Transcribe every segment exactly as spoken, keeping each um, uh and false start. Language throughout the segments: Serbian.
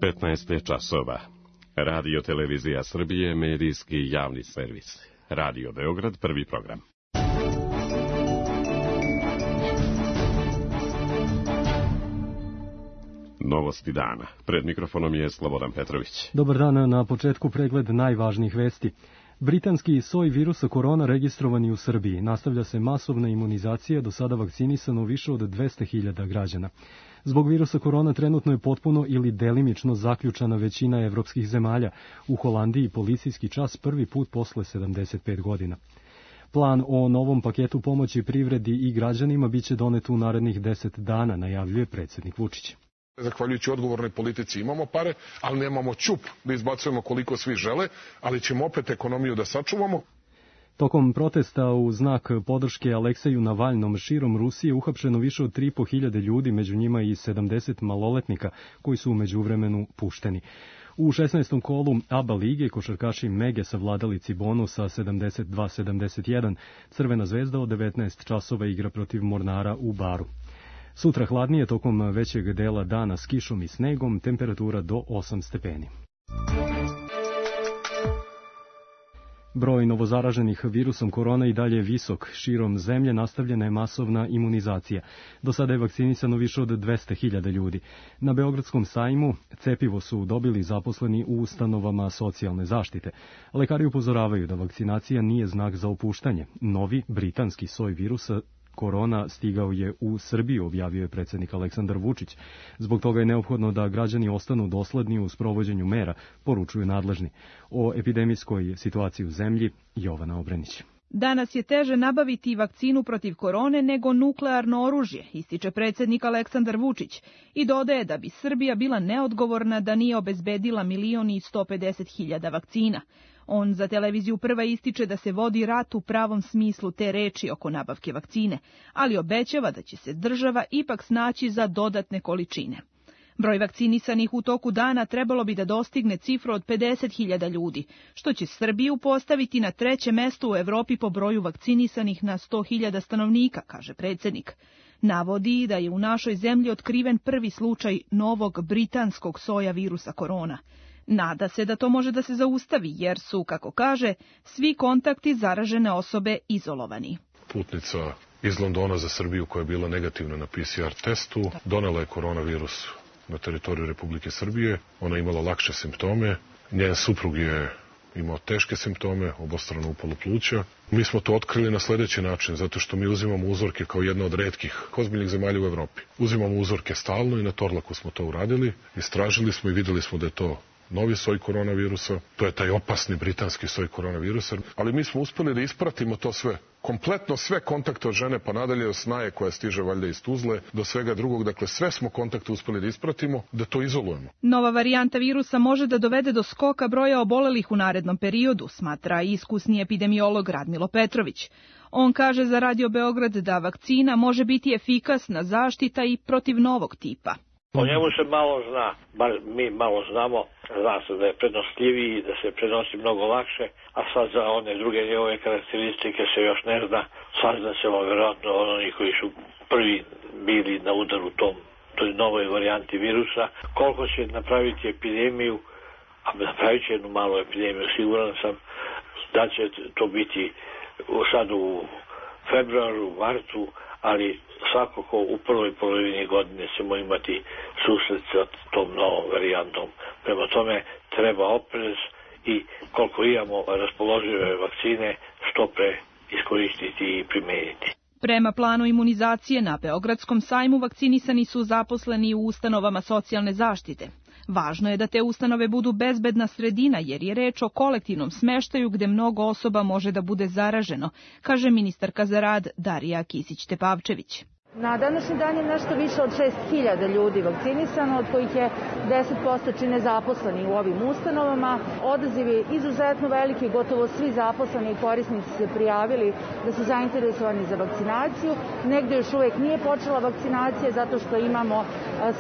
petnaest je časova. Radio Televizija Srbije, medijski javni servis. Radio Beograd, prvi program. Novosti dana. Pred mikrofonom je Slobodan Petrović. Dobar dan, na početku pregled najvažnijih vesti. Britanski soj virusa korona registrovani u Srbiji. Nastavlja se masovna imunizacija, do sada vakcinisano više od dvesta hiljada građana. Zbog virusa korona trenutno je potpuno ili delimično zaključana većina evropskih zemalja. U Holandiji policijski čas prvi put posle sedamdeset pet godina. Plan o novom paketu pomoći privredi i građanima biće donet u narednih deset dana, najavljuje predsjednik Vučić. Zahvaljujući odgovornoj politici imamo pare, ali nemamo ćup da izbacujemo koliko svi žele, ali ćemo opet ekonomiju da sačuvamo. Tokom protesta u znak podrške Alekseju Navalnom širom Rusije uhapšeno više od tri i po hiljade ljudi, među njima i sedamdeset maloletnika koji su u međuvremenu pušteni. U šesnaestom kolu A B A lige košarkaši Mege savladali Cibonu sa sedamdeset dva sedamdeset jedan. Crvena zvezda od devetnaest časova igra protiv Mornara u Baru. Sutra hladnije tokom većeg dela dana s kišom i snegom, temperatura do osam stepeni. Broj novozaraženih virusom korona i dalje je visok. Širom zemlje nastavljena je masovna imunizacija. Do sada je vakcinisano više od dvesta hiljada ljudi. Na Beogradskom sajmu cepivo su dobili zaposleni u ustanovama socijalne zaštite. Lekari upozoravaju da vakcinacija nije znak za opuštanje. Novi britanski soj virusa korona stigao je u Srbiju, objavio je predsjednik Aleksandar Vučić. Zbog toga je neophodno da građani ostanu dosledni u sprovođenju mera, poručuju nadležni. O epidemijskoj situaciji u zemlji Jovana Obrenić. Danas je teže nabaviti vakcinu protiv korone nego nuklearno oružje, ističe predsjednik Aleksandar Vučić i dodaje da bi Srbija bila neodgovorna da nije obezbedila milion i sto pedeset hiljada vakcina. On za televiziju Prva ističe da se vodi rat u pravom smislu te reči oko nabavke vakcine, ali obećava da će se država ipak snaći za dodatne količine. Broj vakcinisanih u toku dana trebalo bi da dostigne cifru od pedeset hiljada ljudi, što će Srbiju postaviti na treće mesto u Evropi po broju vakcinisanih na sto hiljada stanovnika, kaže predsjednik. Navodi da je u našoj zemlji otkriven prvi slučaj novog britanskog soja virusa korona. Nada se da to može da se zaustavi, jer su, kako kaže, svi kontakti zaražene osobe izolovani. Putnica iz Londona za Srbiju koja je bila negativna na P C R testu, donela je koronavirus na teritoriju Republike Srbije. Ona je imala lakše simptome. Njen suprug je imao teške simptome, obostrano upalo pluća. Mi smo to otkrili na sljedeći način, zato što mi uzimamo uzorke kao jedna od retkih ozbiljnih zemalja u Evropi. Uzimamo uzorke stalno i na Torlaku smo to uradili. Istražili smo i videli smo da je to novi soj koronavirusa, to je taj opasni britanski soj koronavirusa, ali mi smo uspeli da ispratimo to sve. Kompletno sve kontakte od žene pa nadalje, od snaje koja stiže valjda iz Tuzle, do svega drugog, dakle sve smo kontakte uspeli da ispratimo, da to izolujemo. Nova varijanta virusa može da dovede do skoka broja obolelih u narednom periodu, smatra iskusni epidemiolog Radmilo Petrović. On kaže za Radio Beograd da vakcina može biti efikasna zaštita i protiv novog tipa. O njemu se malo zna, bar mi malo znamo, zna se da je prenosljiviji, da se prenosi mnogo lakše, a sad za one druge njegove karakteristike se još ne zna, sazna se vjerojatno oni koji su prvi bili na udaru tom, toj novoj varijanti virusa, koliko će napraviti epidemiju, a napravit će jednu malu epidemiju, siguran sam da će to biti sad u februaru, martu, ali svakako u prvoj polovini godine ćemo imati susret sa tom novom varijantom. Prema tome treba oprez i koliko imamo raspoložive vakcine što pre iskoristiti i primeniti. Prema planu imunizacije na Beogradskom sajmu vakcinisani su zaposleni u ustanovama socijalne zaštite. Važno je da te ustanove budu bezbedna sredina jer je reč o kolektivnom smeštaju gde mnogo osoba može da bude zaraženo, kaže ministarka za rad Darija Kisić-Tepavčević. Na današnji dan je nešto više od šest hiljada ljudi vakcinisano, od kojih je deset posto čine zaposleni u ovim ustanovama. Odaziv je izuzetno veliki, gotovo svi zaposleni i korisnici se prijavili da su zainteresovani za vakcinaciju. Negde još uvek nije počela vakcinacija zato što imamo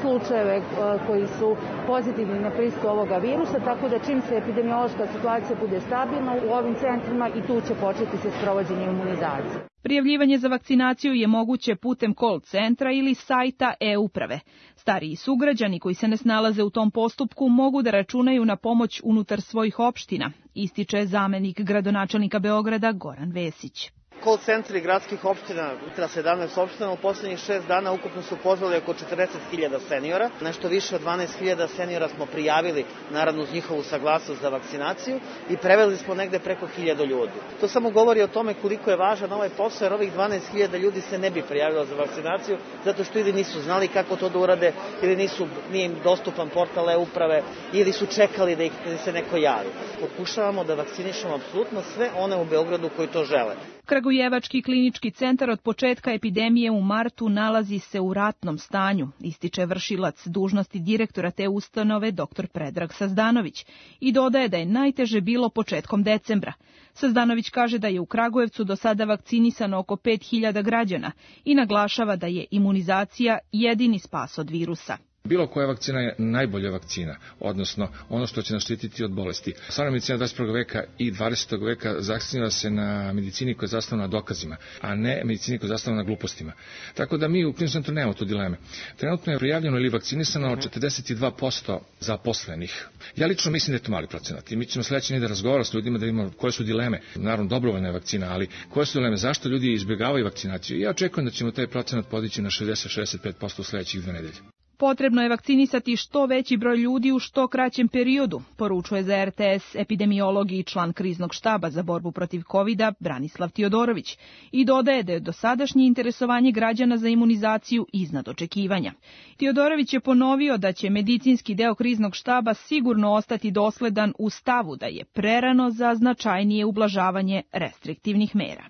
slučajeve koji su pozitivni na prisutstvo ovoga virusa, tako da čim se epidemiološka situacija bude stabilna u ovim centrima i tu će početi se sprovođenje imunizacije. Prijavljivanje za vakcinaciju je moguće putem call centra ili sajta e-uprave. Stariji sugrađani koji se ne snalaze u tom postupku mogu da računaju na pomoć unutar svojih opština, ističe zamenik gradonačelnika Beograda Goran Vesić. Call centri gradskih opština, sedamnaest opština, u poslednjih šest dana ukupno su pozvali oko četrdeset hiljada seniora. Nešto više od dvanaest hiljada seniora smo prijavili, naravno uz njihovu saglasnost za vakcinaciju, i preveli smo negde preko hiljadu ljudi. To samo govori o tome koliko je važan ovaj posao, jer ovih dvanaest hiljada ljudi se ne bi prijavilo za vakcinaciju, zato što ili nisu znali kako to da urade, ili nisu, nije im dostupan portal e-uprave, ili su čekali da ih se neko javi. Pokušavamo da vakcinišemo apsolutno sve one u Beogradu koji to žele. Kragujevački klinički centar od početka epidemije u martu nalazi se u ratnom stanju, ističe vršilac dužnosti direktora te ustanove dr Predrag Sazdanović i dodaje da je najteže bilo početkom decembra. Sazdanović kaže da je u Kragujevcu do sada vakcinisano oko pet hiljada građana i naglašava da je imunizacija jedini spas od virusa. Bilo koja vakcina je najbolja vakcina, odnosno ono što će nas štititi od bolesti. Stvarna medicina dvadeset prvog veka i dvadesetog veka zasniva se na medicini koja je zasnovana na dokazima, a ne medicini koja je zasnovana na glupostima. Tako da mi u kliničkom centru nemamo tu dileme. Trenutno je prijavljeno ili vakcinisano četrdeset dva posto zaposlenih. Ja lično mislim da je to mali procenat i mi ćemo sledeći da razgovaramo s ljudima da vidimo koje su dileme. Naravno, dobrovoljna je vakcina, ali koje su dileme, zašto ljudi izbjegavaju vakcinaciju? Ja očekujem da ćemo taj procenat podići na šezdeset do šezdeset pet posto u sledećih dve nedelje. Potrebno je vakcinisati što veći broj ljudi u što kraćem periodu, poručuje za er te es epidemiolog i član kriznog štaba za borbu protiv kovida Branislav Tiodorović i dodaje da je dosadašnje interesovanje građana za imunizaciju iznad očekivanja. Tiodorović je ponovio da će medicinski deo kriznog štaba sigurno ostati dosledan u stavu da je prerano za značajnije ublažavanje restriktivnih mera.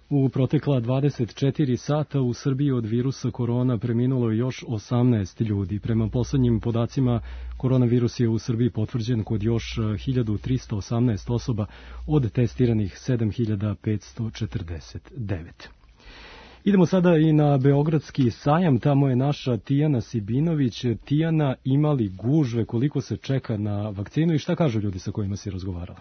U protekla dvadeset četiri sata u Srbiji od virusa korona preminulo još osamnaest ljudi. Prema poslednjim podacima, koronavirus je u Srbiji potvrđen kod još hiljadu trista osamnaest osoba od testiranih sedam hiljada petsto četrdeset devet. Idemo sada i na Beogradski sajam, tamo je naša Tijana Sibinović. Tijana, ima li gužve, koliko se čeka na vakcinu i šta kažu ljudi sa kojima si razgovarala?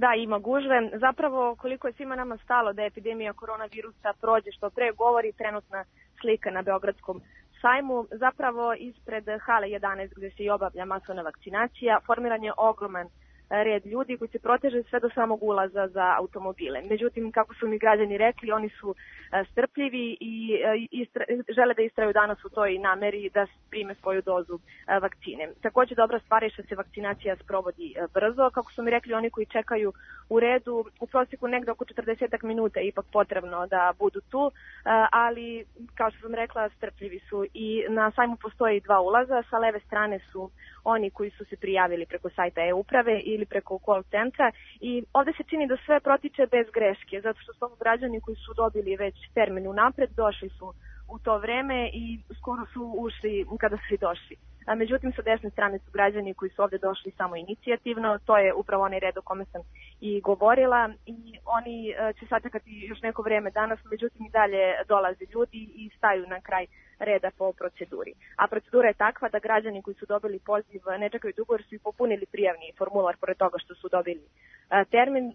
Da, ima gužve. Zapravo, koliko je svima nama stalo da epidemija koronavirusa prođe što pre, govori trenutna slika na Beogradskom sajmu. Zapravo, ispred hale jedanaest gde se i obavlja masovna vakcinacija, formiran je ogroman red ljudi koji se proteže sve do samog ulaza za automobile. Međutim, kako su mi građani rekli, oni su strpljivi i istra, žele da istraju danas u toj nameri da prime svoju dozu vakcine. Takođe, dobra stvar je što se vakcinacija sprovodi brzo. Kako su mi rekli, oni koji čekaju u redu, u prosjeku negde oko četrdeset minuta je ipak potrebno da budu tu, ali, kao što sam rekla, strpljivi su. I na sajmu postoji dva ulaza. Sa leve strane su oni koji su se prijavili preko sajta e-uprave ili preko call centra i ovde se čini da sve protiče bez greške, zato što su ovo građani koji su dobili već termin unapred, došli su u to vreme i skoro su ušli kada su i došli. A međutim, sa desne strane su građani koji su ovde došli samo inicijativno, to je upravo onaj red o kome sam i govorila i oni će sačekati još neko vreme danas, međutim i dalje dolaze ljudi i staju na kraj reda po proceduri. A procedura je takva da građani koji su dobili poziv ne čekaju dugo jer su i popunili prijavni formular pored toga što su dobili termin,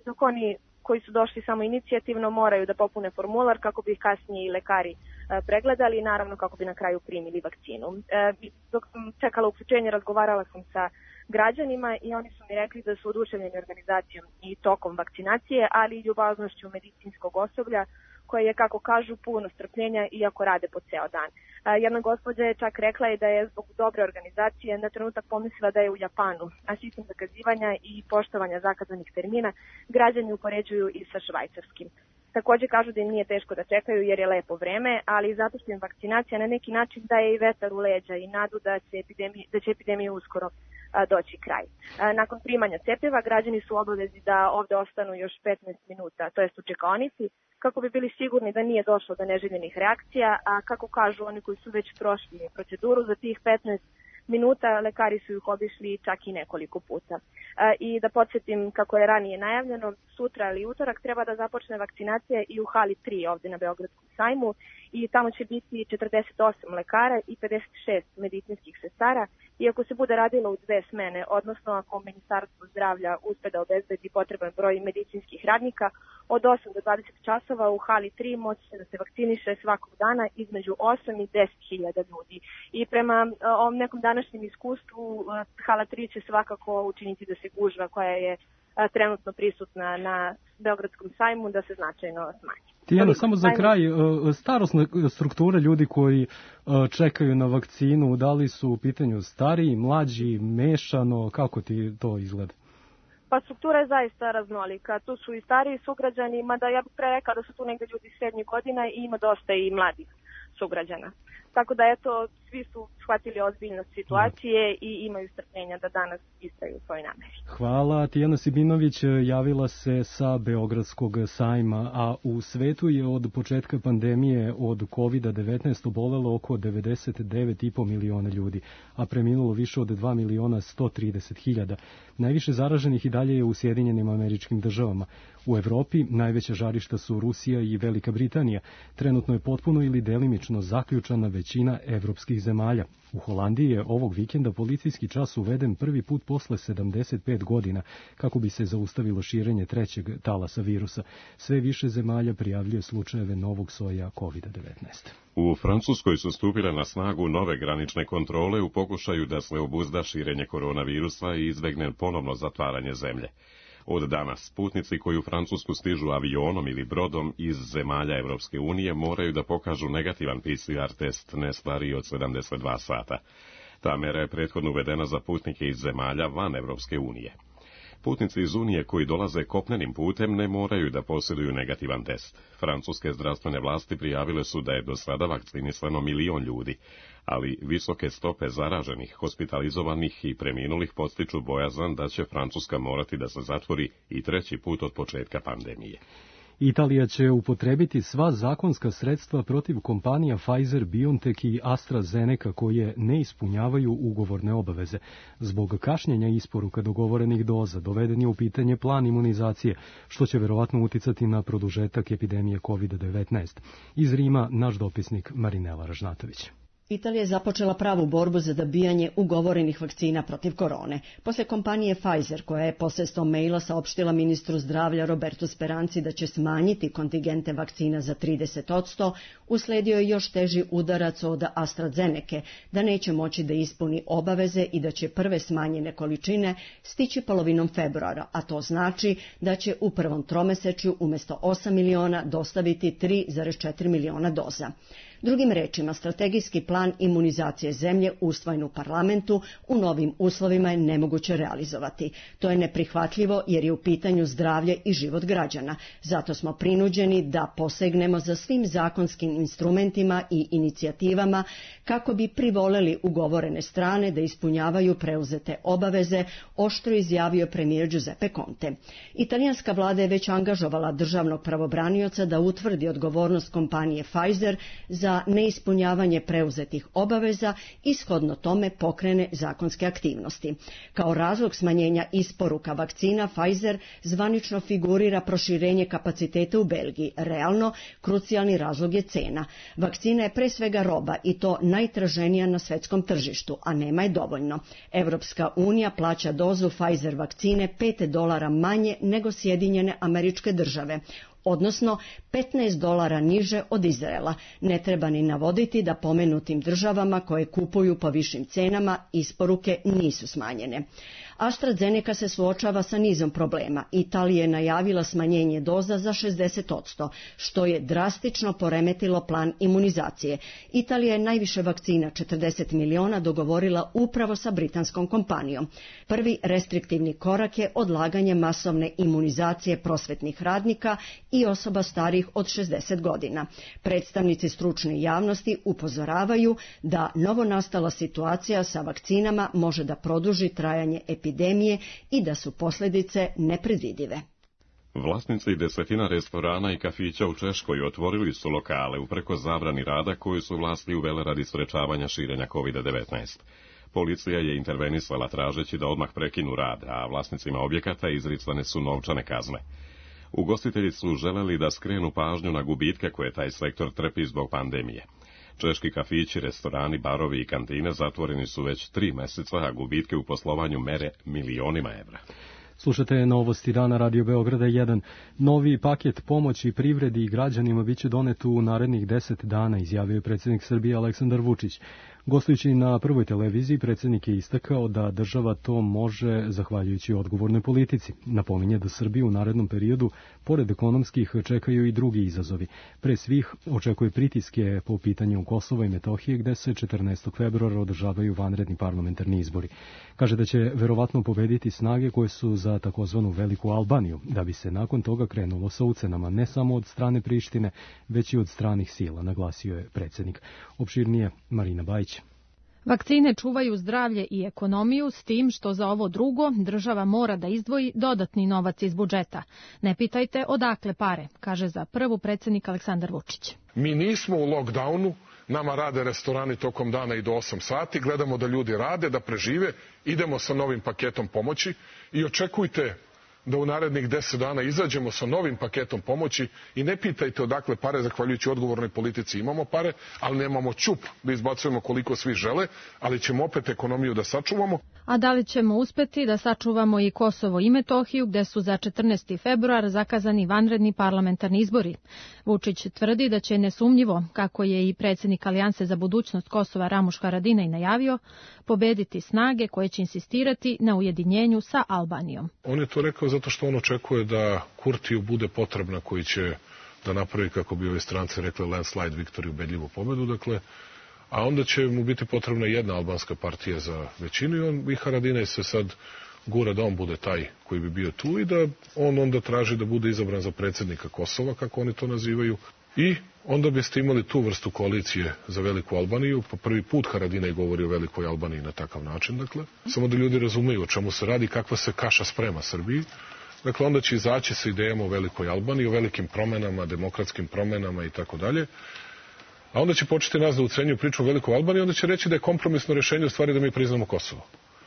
dok oni koji su došli samo inicijativno moraju da popune formular kako bi ih kasnije i lekari pregledali i naravno kako bi na kraju primili vakcinu. Dok sam čekala uključenje, razgovarala sam sa građanima i oni su mi rekli da su oduševljeni organizacijom i tokom vakcinacije, ali i ljubaznošću medicinskog osoblja koje je, kako kažu, puno strpljenja iako rade po ceo dan. Jedna gospođa je čak rekla i da je zbog dobre organizacije na trenutak pomislila da je u Japanu, a sistem zakazivanja i poštovanja zakazanih termina građani upoređuju i sa švajcarskim. Takođe kažu da im nije teško da čekaju jer je lepo vreme, ali zato što im vakcinacija na neki način daje i vetar u leđa i nadu da će epidemija, da će epidemija uskoro a, doći kraj. A, nakon primanja cepiva građani su obavezi da ovde ostanu još petnaest minuta, to jest u čekaonici, kako bi bili sigurni da nije došlo do neželjenih reakcija, a kako kažu oni koji su već prošli proceduru, za tih petnaest minuta lekari su ih obišli čak i nekoliko puta. I da podsjetim, kako je ranije najavljeno, sutra ili utorak treba da započne vakcinacija i u hali tri ovde na Beogradskom sajmu i tamo će biti četrdeset osam lekara i pedeset šest medicinskih sestara, i ako se bude radilo u dve smene, odnosno ako Ministarstvo zdravlja uspe da obezbedi potreban broj medicinskih radnika, od osam do dvadeset časova u hali tri moći se da se vakciniše svakog dana između osam i deset hiljada ljudi. I prema ovom nekom današnjem iskustvu, hala tri će svakako učiniti da se gužva koja je trenutno prisutna na Beogradskom sajmu da se značajno smanji. Tijana, samo za kraj, starosna struktura ljudi koji čekaju na vakcinu, da li su u pitanju stariji, mlađi, mešano, kako ti to izgleda? Pa struktura je zaista raznolika. Tu su i stariji sugrađani, mada ja bih pre rekao da su tu negde ljudi srednjih godina i ima dosta i mladih sugrađana. Tako da, eto, svi su shvatili ozbiljnost situacije i imaju strpljenja da danas istraju svoj nameri. Hvala. Tijana Sibinović javila se sa Beogradskog sajma, a u svetu je od početka pandemije od kovid devetnaest obolelo oko devedeset devet i po miliona ljudi, a preminulo više od dva miliona sto trideset hiljada. Najviše zaraženih i dalje je u Sjedinjenim Američkim Državama. U Evropi najveća žarišta su Rusija i Velika Britanija. Trenutno je potpuno ili delimično zaključana većina evropskih zemalja. U Holandiji je ovog vikenda policijski čas uveden prvi put posle sedamdeset pet godina kako bi se zaustavilo širenje trećeg talasa virusa. Sve više zemalja prijavljuje slučajeve novog soja kovid devetnaest. U Francuskoj su stupile na snagu nove granične kontrole u pokušaju da se obuzda širenje koronavirusa i izbegne ponovno zatvaranje zemlje. Od danas putnici koji u Francusku stižu avionom ili brodom iz zemalja Evropske unije moraju da pokažu negativan P C R test ne stariji od sedamdeset dva sata. Ta mera je prethodno uvedena za putnike iz zemalja van Evropske unije. Putnici iz Unije koji dolaze kopnenim putem ne moraju da posjeduju negativan test. Francuske zdravstvene vlasti prijavile su da je do sada vakcinisano milion ljudi, ali visoke stope zaraženih, hospitalizovanih i preminulih podstiču bojazan da će Francuska morati da se zatvori i treći put od početka pandemije. Italija će upotrebiti sva zakonska sredstva protiv kompanija Pfizer, BioNTech i AstraZeneca koje ne ispunjavaju ugovorne obaveze. Zbog kašnjenja isporuka dogovorenih doza doveden je u pitanje plan imunizacije, što će verovatno uticati na produžetak epidemije kovid devetnaest. Iz Rima naš dopisnik Marinela Ražnatović. Italija je započela pravu borbu za dobijanje ugovorenih vakcina protiv korone. Posle kompanije Pfizer, koja je posredstvom maila saopštila ministru zdravlja Robertu Speranci da će smanjiti kontingente vakcina za trideset posto, usledio je još teži udarac od AstraZeneke, da neće moći da ispuni obaveze i da će prve smanjene količine stići polovinom februara, a to znači da će u prvom tromesečju umjesto osam miliona dostaviti tri zarez četiri miliona doza. Drugim rečima, strategijski plan imunizacije zemlje usvojen u parlamentu u novim uslovima je nemoguće realizovati. To je neprihvatljivo jer je u pitanju zdravlje i život građana. Zato smo prinuđeni da posegnemo za svim zakonskim instrumentima i inicijativama kako bi privoleli ugovorene strane da ispunjavaju preuzete obaveze, oštro izjavio premijer Giuseppe Conte. Italijanska vlada je već angažovala državnog pravobranioca da utvrdi odgovornost kompanije Pfizer za neispunjavanje preuzetih obaveza i shodno tome pokrene zakonske aktivnosti. Kao razlog smanjenja isporuka vakcina Pfizer zvanično figurira proširenje kapaciteta u Belgiji. Realno, krucijalni razlog je cena. Vakcina je pre svega roba i to najtraženija na svetskom tržištu, a nema je dovoljno. Evropska unija plaća dozu Pfizer vakcine pet dolara manje nego Sjedinjene Američke Države, odnosno petnaest dolara niže od Izraela. Ne treba ni navoditi da pomenutim državama koje kupuju po višim cenama isporuke nisu smanjene. AstraZeneca se suočava sa nizom problema. Italija je najavila smanjenje doza za šezdeset posto, što je drastično poremetilo plan imunizacije. Italija je najviše vakcina, četrdeset miliona, dogovorila upravo sa britanskom kompanijom. Prvi restriktivni korak je odlaganje masovne imunizacije prosvetnih radnika i osoba starijih od šezdeset godina. Predstavnici stručne javnosti upozoravaju da novonastala situacija sa vakcinama može da produži trajanje epidemije i da su posljedice nepredvidive. Vlasnici desetina restorana i kafića u Češkoj otvorili su lokale upreko zabrani rada koju su vlasti uvele radi sprečavanja širenja kovid devetnaest. Policija je intervenisala tražeći da odmah prekinu rad, a vlasnicima objekata izricane su novčane kazne. Ugostitelji su želeli da skrenu pažnju na gubitke koje taj sektor trpi zbog pandemije. Češki kafići, restorani, barovi i kantine zatvoreni su već tri meseca, a gubitke u poslovanju mere milionima evra. Slušate novosti dana Radio Beograda jedan. Novi paket pomoći privredi i građanima biće donet u narednih deset dana, izjavio je predsjednik Srbije Aleksandar Vučić. Gostujući na Prvoj televiziji, predsjednik je istakao da država to može zahvaljujući odgovornoj politici. Napominje da Srbiju u narednom periodu, pored ekonomskih, čekaju i drugi izazovi. Pre svih očekuje pritiske po pitanju Kosova i Metohije, gde se četrnaestog februara održavaju vanredni parlamentarni izbori. Kaže da će verovatno pobediti snage koje su za takozvanu Veliku Albaniju, da bi se nakon toga krenulo sa ucenama ne samo od strane Prištine, već i od stranih sila, naglasio je predsjednik. Opširnije Marina Bajić. Vakcine čuvaju zdravlje i ekonomiju, s tim što za ovo drugo država mora da izdvoji dodatni novac iz budžeta. Ne pitajte odakle pare, kaže za prvu predsjednik Aleksandar Vučić. Mi nismo u lockdownu, nama rade restorani tokom dana i do osam sati, gledamo da ljudi rade, da prežive, idemo sa novim paketom pomoći i očekujte da u narednih deset dana izađemo sa novim paketom pomoći i ne pitajte odakle pare, zahvaljujući odgovornoj politici imamo pare, ali nemamo ćup da izbacujemo koliko svi žele, ali ćemo opet ekonomiju da sačuvamo. A da li ćemo uspeti da sačuvamo i Kosovo i Metohiju, gde su za četrnaesti februar zakazani vanredni parlamentarni izbori? Vučić tvrdi da će nesumnjivo, kako je i predsjednik Alijanse za budućnost Kosova Ramuš Haradinaj najavio, pobediti snage koje će insistirati na ujedinjenju sa Albanijom. On je to rekao zato što on očekuje da Kurtiju bude potrebna koji će da napravi, kako bi ove strance rekli, landslide victory, ubedljivu pobedu, dakle, a onda će mu biti potrebna jedna albanska partija za većinu i on i Haradinaj se sad gura da on bude taj koji bi bio tu i da on onda traži da bude izabran za predsjednika Kosova, kako oni to nazivaju, i onda biste imali tu vrstu koalicije za Veliku Albaniju. Po prvi put Haradinaj govori o Velikoj Albaniji na takav način, dakle, samo da ljudi razumeju o čemu se radi, kakva se kaša sprema Srbiji. Dakle, onda će izaći sa idejama o Velikoj Albaniji, o velikim promenama, demokratskim promenama i tako dalje. A onda će početi nas da ucenjuju priču o Velikoj Albaniji, onda će reći da je kompromisno rješenje u stvari da mi priznamo Kosovo.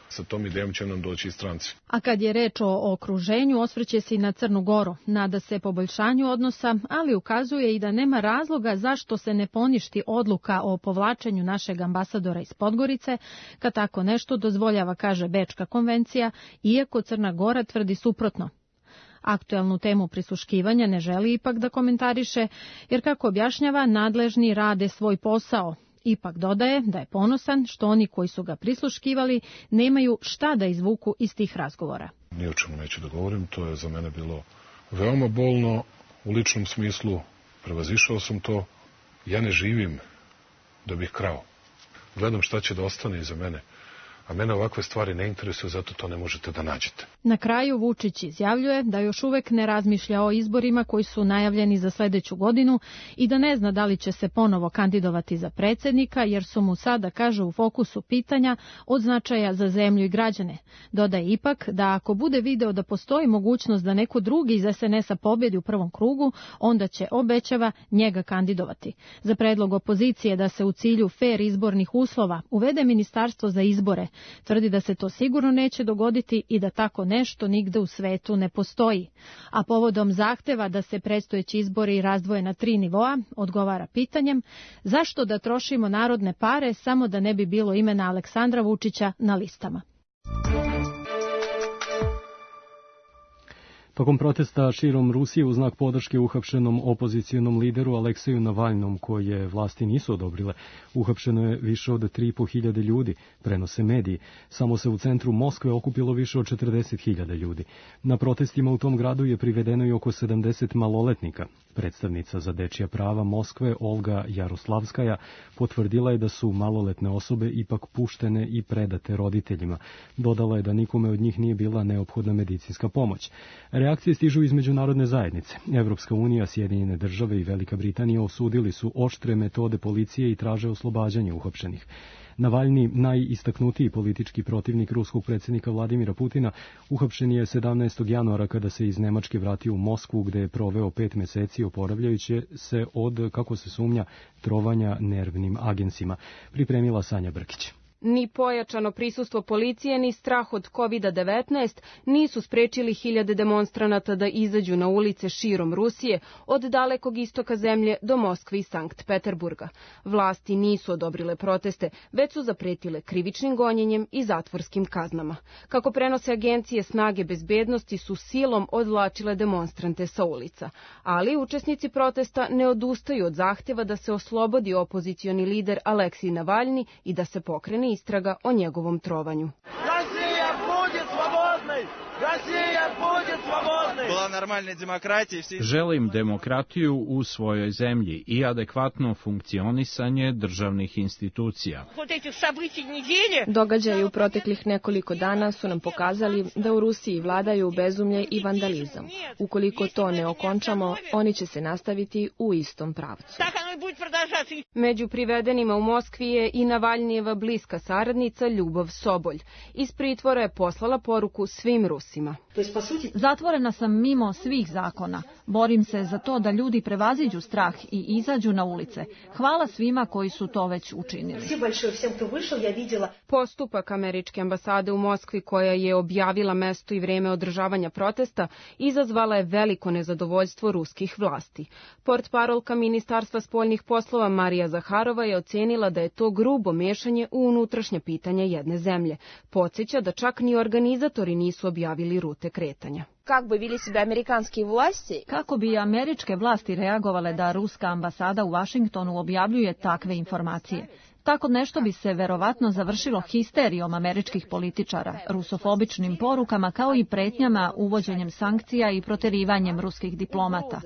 Sa tom idejom će nam doći i stranci. A kad je reč o okruženju, osvrće se i na Crnu Goru. Nada se poboljšanju odnosa, ali ukazuje i da nema razloga zašto se ne poništi odluka o povlačenju našeg ambasadora iz Podgorice, kad tako nešto dozvoljava, kaže Bečka konvencija, iako Crna Gora tvrdi suprotno. Aktuelnu temu prisluškivanja ne želi ipak da komentariše, jer kako objašnjava, nadležni rade svoj posao. Ipak dodaje da je ponosan što oni koji su ga prisluškivali nemaju šta da izvuku iz tih razgovora. Ni o čemu neću da govorim, to je za mene bilo veoma bolno u ličnom smislu, prevazišao sam to, ja ne živim da bih krao. Gledam šta će da ostane iza mene. A mene ovakve stvari ne interesuju, zato to ne možete da nađete. Na kraju Vučić izjavljuje da još uvek ne razmišlja o izborima koji su najavljeni za sledeću godinu i da ne zna da li će se ponovo kandidovati za predsjednika, jer su mu sada, kaže, u fokusu pitanja od značaja za zemlju i građane. Dodaje ipak da ako bude video da postoji mogućnost da neko drugi iz es en es-a pobjedi u prvom krugu, onda će, obećava, njega kandidovati. Za predlog opozicije da se u cilju fer izbornih uslova uvede ministarstvo za izbore, tvrdi da se to sigurno neće dogoditi i da tako nešto nigde u svetu ne postoji. A povodom zahteva da se predstojeći izbori razdvoje na tri nivoa, odgovara pitanjem zašto da trošimo narodne pare samo da ne bi bilo imena Aleksandra Vučića na listama. Tokom protesta širom Rusije u znak podrške uhapšenom opozicijonom lideru Alekseju Navalnom, koje vlasti nisu odobrile, uhapšeno je više od tri i po hiljade ljudi, prenose mediji. Samo se u centru Moskve okupilo više od četrdeset hiljada ljudi. Na protestima u tom gradu je privedeno i oko sedamdeset maloletnika. Predstavnica za dečija prava Moskve, Olga Jaroslavskaja, potvrdila je da su maloletne osobe ipak puštene i predate roditeljima. Dodala je da nikome od njih nije bila neophodna medicinska pomoć. Reakcije stižu iz međunarodne zajednice. Evropska unija, Sjedinjene države i Velika Britanija osudili su oštre metode policije i traže oslobađanje uhapšenih. Navalni, najistaknutiji politički protivnik ruskog predsjednika Vladimira Putina, uhapšen je sedamnaestog januara kada se iz Nemačke vratio u Moskvu, gde je proveo pet meseci oporavljajući se od, kako se sumnja, trovanja nervnim agensima. Pripremila Sanja Brkić. Ni pojačano prisustvo policije, ni strah od kovid devetnaest nisu sprečili hiljade demonstranata da izađu na ulice širom Rusije, od dalekog istoka zemlje do Moskve i Sankt Peterburga. Vlasti nisu odobrile proteste, već su zapretile krivičnim gonjenjem i zatvorskim kaznama. Kako prenose agencije, snage bezbednosti su silom odvlačile demonstrante sa ulica, ali učesnici protesta ne odustaju od zahteva da se oslobodi opozicioni lider Aleksij Navalni i da se pokrene istraga o njegovom trovanju. Želim demokratiju u svojoj zemlji i adekvatno funkcionisanje državnih institucija. Događaji u proteklih nekoliko dana su nam pokazali da u Rusiji vladaju bezumlje i vandalizam. Ukoliko to ne okončamo, oni će se nastaviti u istom pravcu. Među privedenima u Moskvi je i Navalnijeva bliska saradnica Ljubov Sobolj. Iz pritvora je poslala poruku svim Rusima. Zatvorena sam mimo svih zakona. Borim se za to da ljudi prevaziđu strah i izađu na ulice. Hvala svima koji su to već učinili. Postupak američke ambasade u Moskvi, koja je objavila mesto i vreme održavanja protesta, izazvala je veliko nezadovoljstvo ruskih vlasti. Portparolka Ministarstva spoljnih poslova Marija Zaharova je ocenila da je to grubo mešanje u unutrašnja pitanja jedne zemlje. Podsjeća da čak ni organizatori nisu objavili rute kretanja. Kako bi američke vlasti reagovale da ruska ambasada u Vašingtonu objavljuje takve informacije? Tako nešto bi se verovatno završilo histerijom američkih političara, rusofobičnim porukama kao i pretnjama uvođenjem sankcija i proterivanjem ruskih diplomata.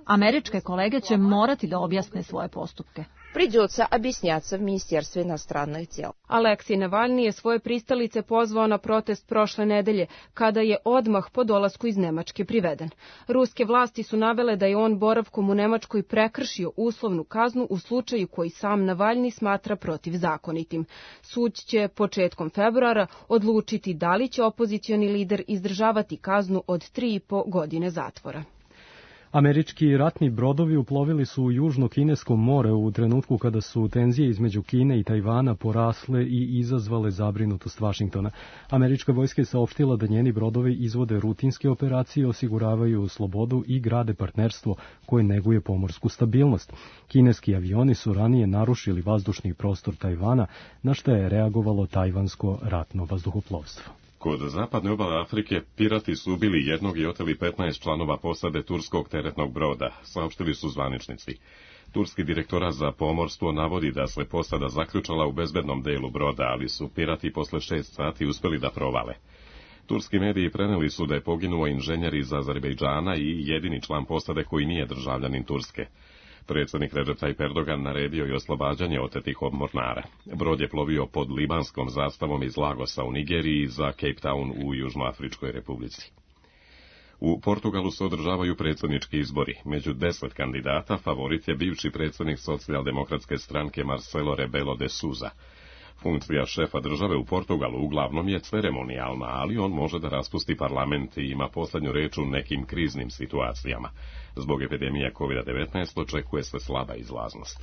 Američke kolege će morati da objasne svoje postupke. Придется объясняться в Министерстве иностранных дел. Aleksij Navalni je svoje pristalice pozvao na protest prošle nedelje, kada je odmah po dolasku iz Nemačke priveden. Ruske vlasti su navele da je on boravkom u Nemačkoj prekršio uslovnu kaznu u slučaju koji sam Navalni smatra protivzakonitim. Sud će početkom februara odlučiti da li će opozicioni lider izdržavati kaznu od tri i po godine zatvora. Američki ratni brodovi uplovili su u Južno Kinesko more u trenutku kada su tenzije između Kine i Tajvana porasle i izazvale zabrinutost Vašingtona. Američka vojska je saopštila da njeni brodovi izvode rutinske operacije, osiguravaju slobodu i grade partnerstvo koje neguje pomorsku stabilnost. Kineski avioni su ranije narušili vazdušni prostor Tajvana, na što je reagovalo tajvansko ratno vazduhoplovstvo. Kod zapadne obale Afrike pirati su ubili jednog i oteli petnaest članova posade turskog teretnog broda, saopštili su zvaničnici. Turski direktorat za pomorstvo navodi da se posada zaključala u bezbednom delu broda, ali su pirati posle šest sati uspeli da provale. Turski mediji preneli su da je poginuo inženjer iz Azerbejdžana i jedini član posade koji nije državljanin Turske. Predsjednik Recep Tayyip Erdogan naredio je oslobađanje otetih mornara. Brod je plovio pod libanskom zastavom iz Lagosa u Nigeriji za Cape Town u Južnoafričkoj republici. U Portugalu se održavaju predsjednički izbori. Među deset kandidata favorit je bivši predsjednik socijaldemokratske stranke Marcelo Rebelo de Sousa. Funkcija šefa države u Portugalu uglavnom je ceremonijalna, ali on može da raspusti parlament i ima poslednju reč u nekim kriznim situacijama. Zbog epidemije kovid devetnaest očekuje se slaba izlaznost.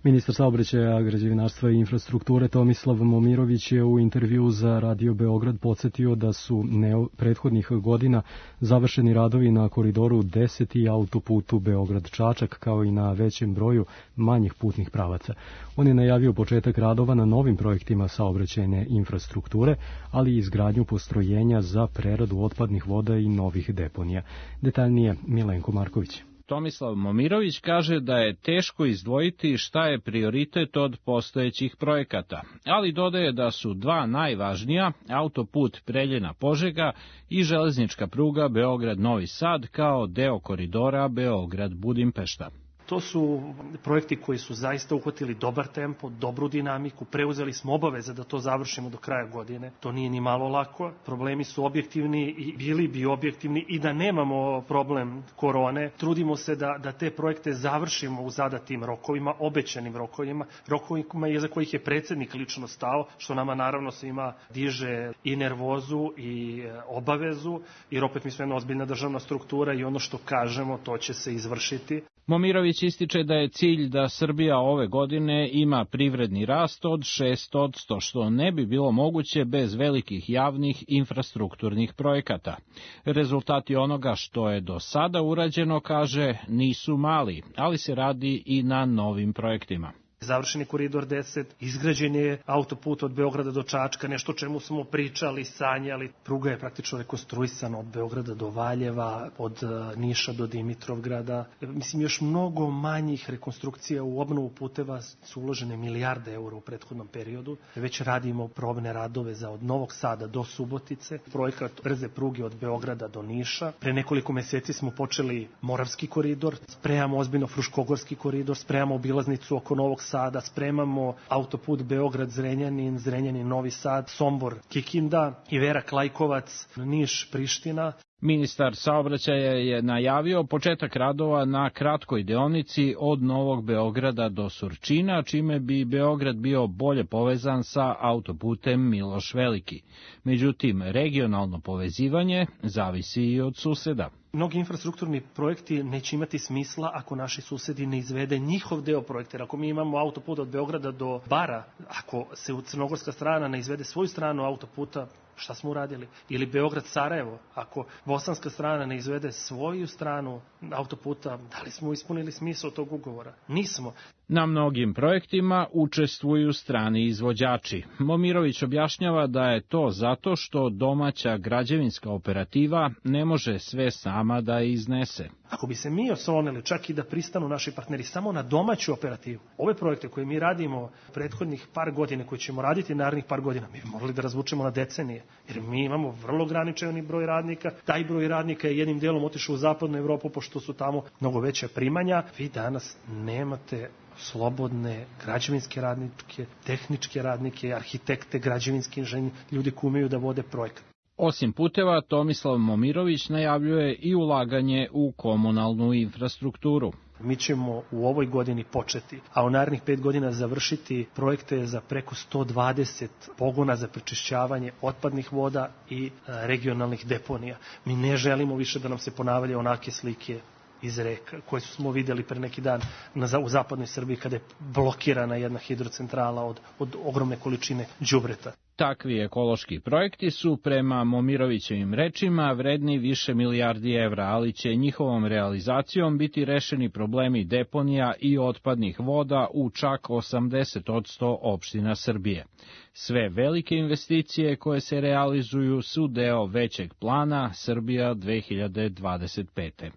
Ministar saobraćaja, građevinarstva i infrastrukture Tomislav Momirović je u intervju za Radio Beograd podsjetio da su neo prethodnih godina završeni radovi na koridoru deset i autoputu Beograd-Čačak, kao i na većem broju manjih putnih pravaca. On je najavio početak radova na novim projektima saobraćajne infrastrukture, ali i izgradnju postrojenja za preradu otpadnih voda i novih deponija. Detaljnije Milenko Marković. Tomislav Momirović kaže da je teško izdvojiti šta je prioritet od postojećih projekata, ali dodaje da su dva najvažnija, autoput Preljina-Požega i železnička pruga Beograd-Novi Sad kao deo koridora Beograd-Budimpešta. To su projekti koji su zaista uhvatili dobar tempo, dobru dinamiku, preuzeli smo obaveze da to završimo do kraja godine. To nije ni malo lako. Problemi su objektivni i bili bi objektivni i da nemamo problem korone. Trudimo se da, da te projekte završimo u zadatim rokovima, obećanim rokovima, rokovima iza kojih je predsjednik lično stao, što nama naravno svima diže i nervozu i obavezu, jer opet mi smo jedna ozbiljna državna struktura i ono što kažemo to će se izvršiti. Momirović ističe da je cilj da Srbija ove godine ima privredni rast od šest posto, što ne bi bilo moguće bez velikih javnih infrastrukturnih projekata. Rezultati onoga što je do sada urađeno, kaže, nisu mali, ali se radi i na novim projektima. Završen je koridor deset, izgrađen je autoput od Beograda do Čačka, nešto o čemu smo pričali, sanjali. Pruga je praktično rekonstruisana od Beograda do Valjeva, od Niša do Dimitrovgrada. Mislim, još mnogo manjih rekonstrukcija u obnovu puteva su uložene milijarde eura u prethodnom periodu. Već radimo probne radove za od Novog Sada do Subotice, projekat brze pruge od Beograda do Niša. Pre nekoliko meseci smo počeli Moravski koridor, spremamo ozbiljno Fruškogorski koridor, spremamo obilaznicu oko Novog Sada, Sada spremamo autoput Beograd-Zrenjanin, Zrenjanin-Novi Sad, Sombor-Kikinda, Iverak-Lajkovac, Niš-Priština. Ministar saobraćaja je najavio početak radova na kratkoj deonici od Novog Beograda do Surčina, čime bi Beograd bio bolje povezan sa autoputem Miloš Veliki. Međutim, regionalno povezivanje zavisi i od suseda. Mnogi infrastrukturni projekti neće imati smisla ako naši susedi ne izvede njihov deo projekta. Ako mi imamo autoput od Beograda do Bara, ako se u crnogorska strana ne izvede svoju stranu autoputa, šta smo uradili? Ili Beograd-Sarajevo, ako bosanska strana ne izvede svoju stranu autoputa, da li smo ispunili smisao tog ugovora? Nismo. Na mnogim projektima učestvuju strani izvođači. Momirović objašnjava da je to zato što domaća građevinska operativa ne može sve sama da iznese. Ako bi se mi oslonili čak i da pristanu naši partneri samo na domaću operativu, ove projekte koje mi radimo prethodnih par godina, koje ćemo raditi narednih par godina, mi bi morali da razvučemo na decenije, jer mi imamo vrlo ograničeni broj radnika. Taj broj radnika je jednim delom otišao u zapadnu Evropu, pošto su tamo mnogo veća primanja. Vi danas nemate slobodne građevinske radnike, tehničke radnike, arhitekte, građevinski inženjeri, ljudi koji umeju da vode projekat. Osim puteva, Tomislav Momirović najavljuje i ulaganje u komunalnu infrastrukturu. Mi ćemo u ovoj godini početi, a u narednih pet godina završiti projekte za preko sto dvadeset pogona za prečišćavanje otpadnih voda i regionalnih deponija. Mi ne želimo više da nam se ponavljaju onake slike iz reka, koje smo vidjeli pre neki dan na, u zapadnoj Srbiji kada je blokirana jedna hidrocentrala od, od ogromne količine đubreta. Takvi ekološki projekti su, prema Momirovićevim rečima, vredni više milijardi evra, ali će njihovom realizacijom biti rešeni problemi deponija i otpadnih voda u čak osamdeset posto opština Srbije. Sve velike investicije koje se realizuju su deo većeg plana Srbija dve hiljade dvadeset pete.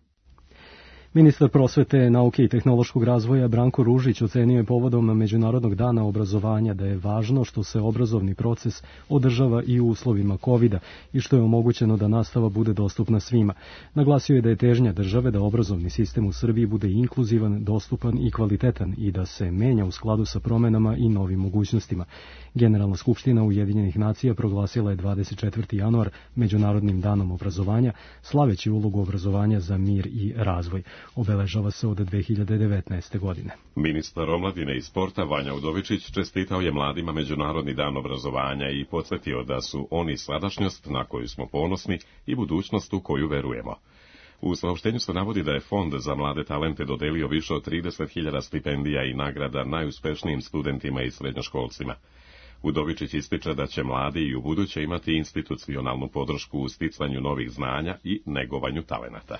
Ministar prosvete, nauke i tehnološkog razvoja Branko Ružić ocenio je povodom Međunarodnog dana obrazovanja da je važno što se obrazovni proces održava i u uslovima kovida i što je omogućeno da nastava bude dostupna svima. Naglasio je da je težnja države da obrazovni sistem u Srbiji bude inkluzivan, dostupan i kvalitetan i da se menja u skladu sa promenama i novim mogućnostima. Generalna skupština Ujedinjenih nacija proglasila je dvadeset četvrti januar Međunarodnim danom obrazovanja, slaveći ulogu obrazovanja za mir i razvoj. Obeležava se od dve hiljade devetnaeste. godine. Ministar omladine i sporta Vanja Udovičić čestitao je mladima Međunarodni dan obrazovanja i podsjetio da su oni sadašnjost na koju smo ponosni i budućnost u koju verujemo. U saopštenju se navodi da je Fond za mlade talente dodelio više od trideset hiljada stipendija i nagrada najuspešnijim studentima i srednjoškolcima. Udovičić ističe da će mladi i ubuduće imati institucionalnu podršku u sticanju novih znanja i negovanju talenata.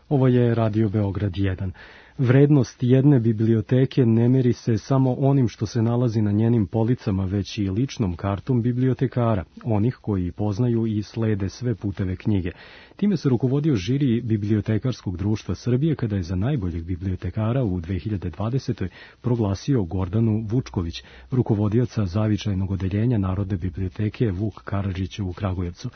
Ovo je Radio Beograd jedan. Vrednost jedne biblioteke ne meri se samo onim što se nalazi na njenim policama, već i ličnom kartom bibliotekara, onih koji poznaju i slede sve puteve knjige. Time se rukovodio žiri Bibliotekarskog društva Srbije kada je za najboljeg bibliotekara u dve hiljade dvadesetoj. proglasio Gordanu Vučković, rukovodioca zavičajnog odeljenja Narodne biblioteke Vuk Karadžić u Kragujevcu.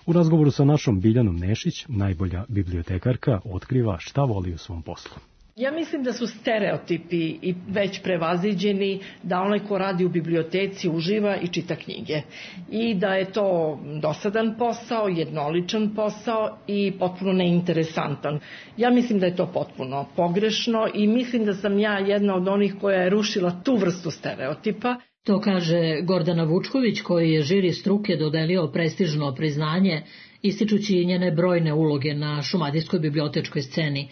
U razgovoru sa našom Biljanom Nešić, najbolja bibliotekarka otkriva šta voli u svom poslu. Ja mislim da su stereotipi i već prevaziđeni, da onaj ko radi u biblioteci uživa i čita knjige. I da je to dosadan posao, jednoličan posao i potpuno neinteresantan. Ja mislim da je to potpuno pogrešno i mislim da sam ja jedna od onih koja je rušila tu vrstu stereotipa. To kaže Gordana Vučković, koji je žiri struke dodelio prestižno priznanje, ističući njene brojne uloge na šumadijskoj bibliotečkoj sceni.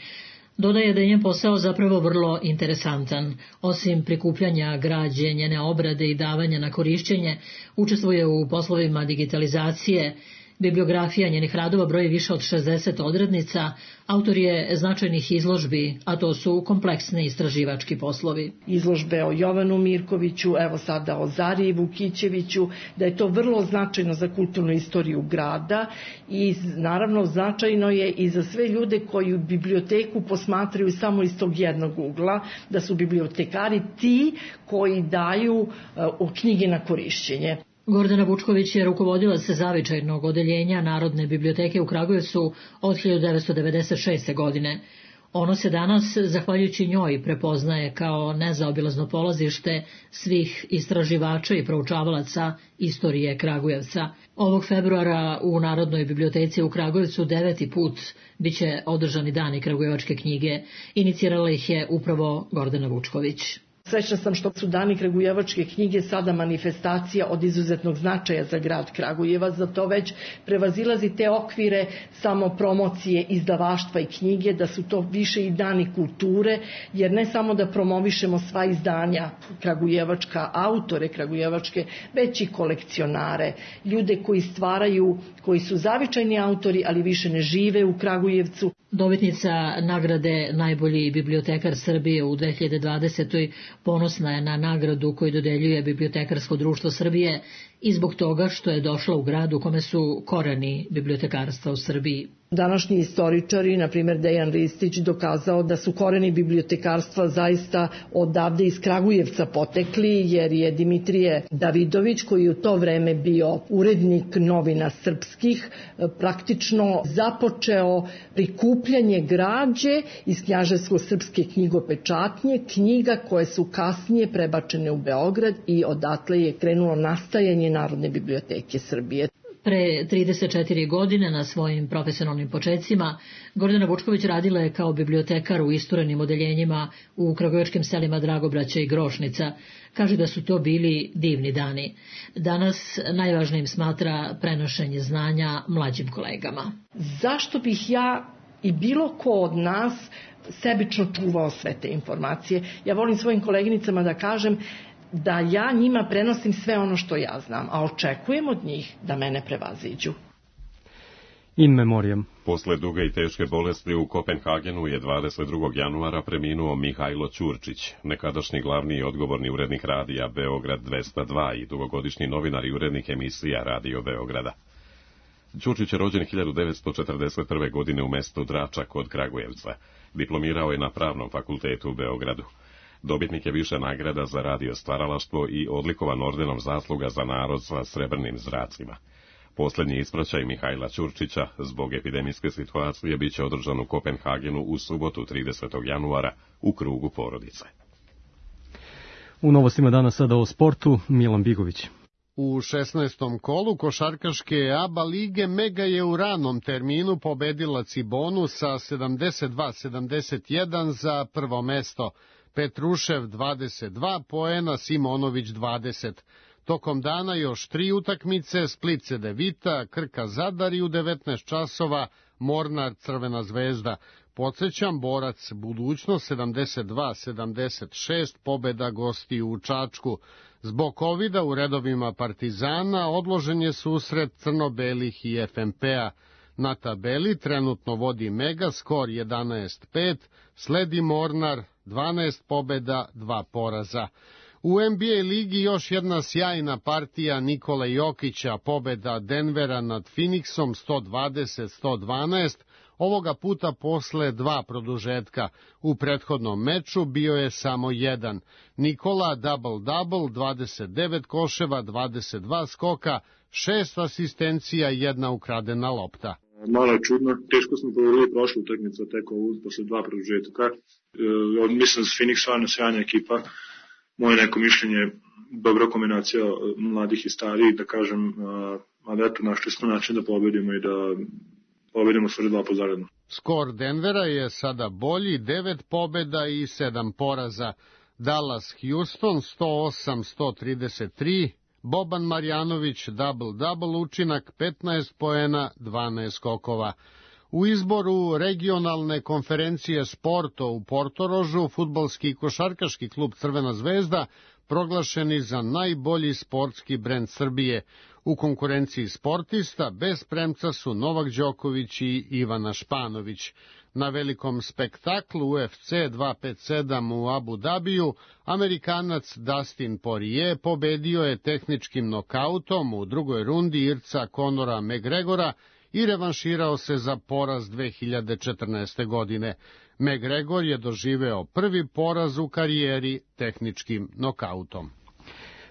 Dodaje da je njen posao zapravo vrlo interesantan. Osim prikupljanja građe, njene obrade i davanja na korišćenje, učestvuje u poslovima digitalizacije. Bibliografija njenih radova broji više od šezdeset odrednica, autor je značajnih izložbi, a to su kompleksni istraživački poslovi. Izložbe o Jovanu Mirkoviću, evo sada o Zariji Vukićeviću, da je to vrlo značajno za kulturnu istoriju grada i naravno značajno je i za sve ljude koji biblioteku posmatraju samo iz tog jednog ugla, da su bibliotekari ti koji daju uh, knjige na korišćenje. Gordana Vučković je rukovodila se zavičajnog odeljenja Narodne biblioteke u Kragujevcu od hiljadu devetsto devedeset šeste. godine. Ono se danas, zahvaljujući njoj, prepoznaje kao nezaobilazno polazište svih istraživača i proučavalaca istorije Kragujevca. Ovog februara u Narodnoj biblioteci u Kragujevcu deveti put biće održani dani kragujevačke knjige. Inicirala ih je upravo Gordana Vučković. Srećna sam što su dani kragujevačke knjige sada manifestacija od izuzetnog značaja za grad Kragujevac, zato već prevazilazi te okvire samo promocije izdavaštva i knjige, da su to više i dani kulture, jer ne samo da promovišemo sva izdanja kragujevačka, autore kragujevačke, već i kolekcionare, ljude koji stvaraju, koji su zavičajni autori, ali više ne žive u Kragujevcu. Dobitnica nagrade Najbolji bibliotekar Srbije u dve hiljade dvadesetoj. ponosna je na nagradu koju dodeljuje Bibliotekarsko društvo Srbije i zbog toga što je došla u grad u kome su koreni bibliotekarstva u Srbiji. Današnji istoričari, na primjer Dejan Ristić, dokazao da su koreni bibliotekarstva zaista odavde iz Kragujevca potekli, jer je Dimitrije Davidović, koji je u to vreme bio urednik novina srpskih, praktično započeo prikupljanje građe iz knjaževsko-srpske knjigopečatnje, knjiga koje su kasnije prebačene u Beograd i odatle je krenulo nastajanje Narodne biblioteke Srbije. Pre trideset četiri godine na svojim profesionalnim počecima Gordana Vučković radila je kao bibliotekar u isturenim odeljenjima u kragujevačkim selima Dragobraća i Grošnica. Kaže da su to bili divni dani. Danas najvažnijim smatra prenošenje znanja mlađim kolegama. Zašto bih ja i bilo ko od nas sebično čuvao sve te informacije? Ja volim svojim koleginicama da kažem da ja njima prenosim sve ono što ja znam, a očekujem od njih da mene prevaziđu. In memoriam. Posle duge i teške bolesti u Kopenhagenu je dvadeset drugog januara preminuo Mihajlo Ćurčić, nekadašnji glavni i odgovorni urednik radija Beograd dvesta dva i dugogodišnji novinar i urednik emisija Radio Beograda. Ćurčić je rođen hiljadu devetsto četrdeset prve. godine u mestu Drača kod Kragujevca. Diplomirao je na Pravnom fakultetu u Beogradu. Dobitnik je više nagrada za radio stvaralaštvo i odlikovan ordenom zasluga za narod sa srebrnim zracima. Posljednji ispraćaj Mihajla Ćurčića zbog epidemijske situacije biće održan u Kopenhagenu u subotu tridesetog januara u krugu porodice. U novostima danas sada o sportu, Milan Bigović. U šesnaestom kolu košarkaške A B A lige Mega je u ranom terminu pobedila Cibonu sa sedamdeset dva sedamdeset jedan za prvo mesto. Petrušev dvadeset dva poena, Simonović dvadeset. Tokom dana još tri utakmice, Split Cedevita, Krka Zadar i u devetnaest časova Mornar Crvena zvezda. Podsjećam, Borac Budućnost sedamdeset dva sedamdeset šest pobeda gostiju u Čačku. Zbog kovida u redovima Partizana odložen je susret crno-belih i F M P-a. Na tabeli trenutno vodi Mega, skor jedanaest pet, sledi Mornar, dvanaest pobeda, dva poraza. U N B A ligi još jedna sjajna partija Nikole Jokića, pobeda Denvera nad Phoenixom sto dvadeset sto dvanaest, ovoga puta posle dva produžetka. U prethodnom meču bio je samo jedan. Nikola double-double, dvadeset devet koševa, dvadeset dva skoka, šest asistencija i jedna ukradena lopta. Malo je čudno, teško smo povedali prošlu utakmicu, tek ovu posle dva produžetka. E, mislim da Phoenix stvarno sjajna ekipa. Moje neko mišljenje, dobra kombinacija mladih i starijih, da kažem, ali eto, našli smo način da pobedimo i da pobedimo sve dva pozaredno. Skor Denvera je sada bolji, devet pobeda i sedam poraza. Dallas Houston sto osam sto trideset tri, Boban Marjanović double-double učinak, petnaest poena, dvanaest skokova. U izboru regionalne konferencije sporto u Portorožu, fudbalski i košarkaški klub Crvena zvezda proglašeni za najbolji sportski brend Srbije. U konkurenciji sportista bez premca su Novak Đoković i Ivana Španović. Na velikom spektaklu U F C dvesta pedeset sedam u Abu Dabiju, Amerikanac Dustin Poirier pobedio je tehničkim nokautom u drugoj rundi Irca Conora McGregora i revanširao se za poraz dve hiljade četrnaeste. godine. McGregor je doživeo prvi poraz u karijeri tehničkim nokautom.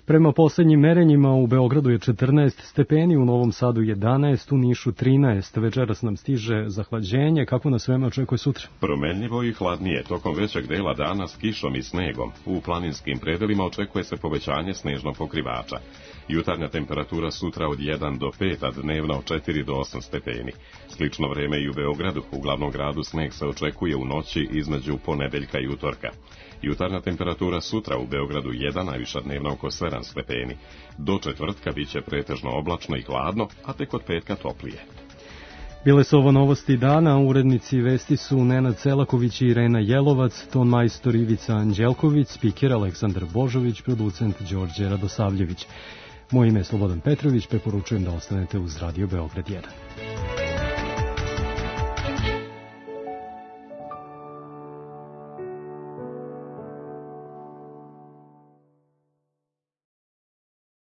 Prema poslednjim merenjima u Beogradu je četrnaest stepeni, u Novom Sadu jedanaest, u Nišu trinaest. Večeras nam stiže zahlađenje. Kako nas vreme očekuje sutra? Promenljivo i hladnije, tokom većeg dela dana s kišom i snegom. U planinskim predelima očekuje se povećanje snežnog pokrivača. Jutarnja temperatura sutra od jedan do pet, a dnevna od četiri do osam stepeni. Slično vreme i u Beogradu, u glavnom gradu sneg se očekuje u noći između ponedeljka i utorka. Jutarnja temperatura sutra u Beogradu jedan, najviša dnevna oko sedam stepeni. Do četvrtka biće pretežno oblačno i hladno, a tek od petka toplije. Bile su ovo novosti dana, urednici vesti su Nenad Celaković i Irena Jelovac, ton majstor Ivica Anđelković, spiker Aleksandar Božović, producent Đorđe Radosavljević. Moje ime je Slobodan Petrović, preporučujem da ostanete uz Radio Beograd jedan.